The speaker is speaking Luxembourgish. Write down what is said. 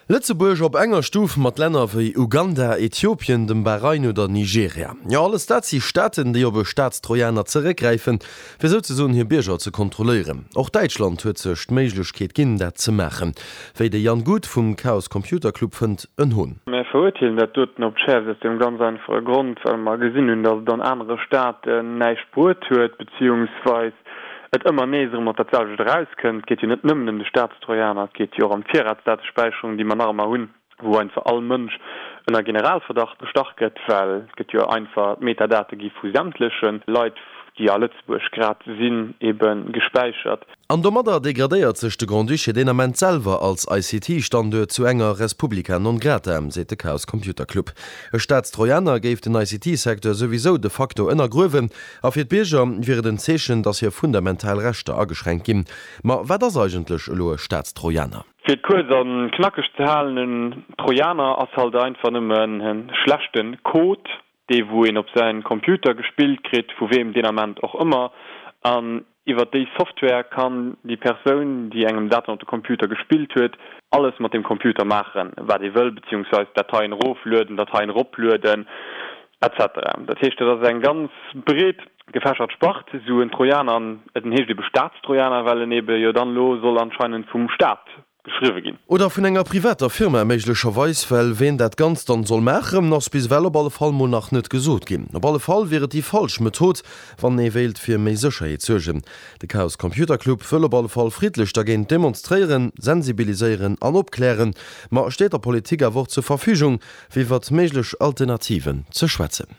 Lëtzebuerg op enger Stuf mat Länner wéi Uganda, Äthiopien, dem Bahrain oder Nigeria. Jo, alles dat si Staaten, déi op e Staatstrojaner zeréckgräifen, fir souzesoen hir Bierger ze kontrolléieren. Och Däitschland huet sech d'Méiglechkeet ginn, dat ze maachen. Wéi de Jan Guth vum Chaos Computer Club fënnt, en Hohn. Mär verurteelen dat doten op d'Schäerfst aus deem ganz einfache Grond, well mer gesinn hunn, datt et an anere Staaten näischt bruet huet, beziehungsweis et ëmmer nees erëm op dat selwecht erauskënnt. Et geet jo net nëmmen ëm de Staatstrojaner, et geet jo och ëm d'Virratsdatespäicherung, déi mer nach ëmmer hunn, wou einfach all Mënsch ënner Generalverdacht gestach gëtt, well et gëtt jo einfach, d'Metadate gi vu sämtleche Leit, déi a Lëtzebuerg grad sinn, ebe gespäichert. An domadder degradéiert sech de Grand-Duché deen Ament selwer als ICT-Standuert zu enger Res publica non grata, seet de Chaos Computer Club. E Staatstrojaner géif den ICT-Secteur souwisou de facto ënnergruewen A fir d'Bierger wier et en Zeechen, datt hir fundamental Rechter ageschränkt ginn. Ma wat ass eigentlech elo e Staatstrojaner? Fir et kuerz a knackeg ze halen, en Trojaner ass halt einfach nëmmen e schlechte Code, dee wou een op säin Computer gespillt kritt, vu weem deen Ament och ëmmer, an iwwer déi Software kann déi Persoun, déi engem dat dann op de Computer gespillt huet, alles mat deem Computer maachen, wat ee wëll, beziehungsweis Dateien eroflueden, Dateien eroplueden, Etc. Dat heescht, dat ass eng ganz breet gefächert Spart, esou en Trojaner, an en heescht ebe Staatstrojaner, well en ebe jo dann elo soll anscheinend vum Staat geschriwwe ginn. Oder vun enger privater Firma méiglecherweis, well ween dat Ganzt dann soll maachen, ass bis ewell op alle Fall mol nach net gesot ginn. Op alle Fall wier et déi falsch Method, wann ee wéilt fir méi Sécherheet suergen. De Chaos Computer Club wëll op alle Fall friddlech dergéint demonstréieren, sensibiliséieren an opklären, ma steet der Politik awer och zur Verfügung, fir iwwert méiglech Alternativen ze schwätzen.